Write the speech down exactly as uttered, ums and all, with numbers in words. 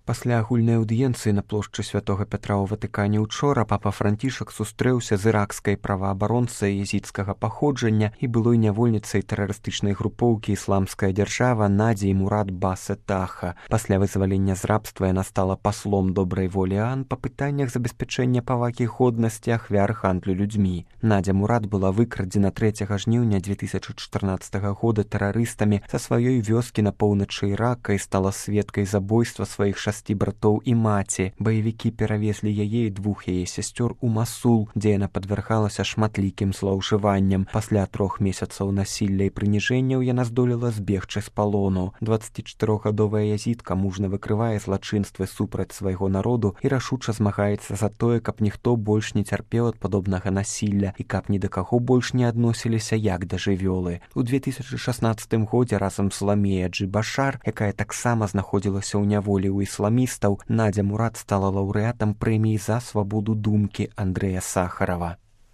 Пасля агульнай аўдыенцыі на плошчы святога Пятра ў Ватыкане учора папа Францішак сустрэўся з іракскай праваабаронцай езідскага паходжання і былой нявольніцай тэрарыстычнай групоўкі «Ісламская дзяржава» Надзей Мурад Басетаха. Пасля вызвалення з рабства яна стала паслом добрай волі ААН па пытаннях забеспячэння павагі годнасці ахвяр гандлю людзьмі. Надзя Мурад была выкрадзена трэцяга жніўня дзве тысячы чатырнаццатага года тэрарыстамі са сваёй вёскі на поўначы Ірака і стала сведкай забойства сваіх шасці братоў і маці. Баевікі перавезлі яе і двух яе сясцёр у Масул, дзе яна падвяргалася шматлікім злоўжыванням. Пасля трох месяцаў насілля і прыніжэнняў яна здолела збегчы з палону. дваццацічатырохгадовая язідка мужна выкрывае злачынствы супраць свайго народу і рашуча змагаецца за тое, каб ніхто больш не цярпеў ад падобнага насілля і каб ні да каго больш не адносіліся як да жывёлы. У две тысячы шаснаццатым годзе разам з Ламея Джи-Башар, якая таксама знаходзілася ў няволі ў ісламістаў, Надзя Мурад стала лаўрэатам прэміі за свабоду думкі Андрэя Сахарова.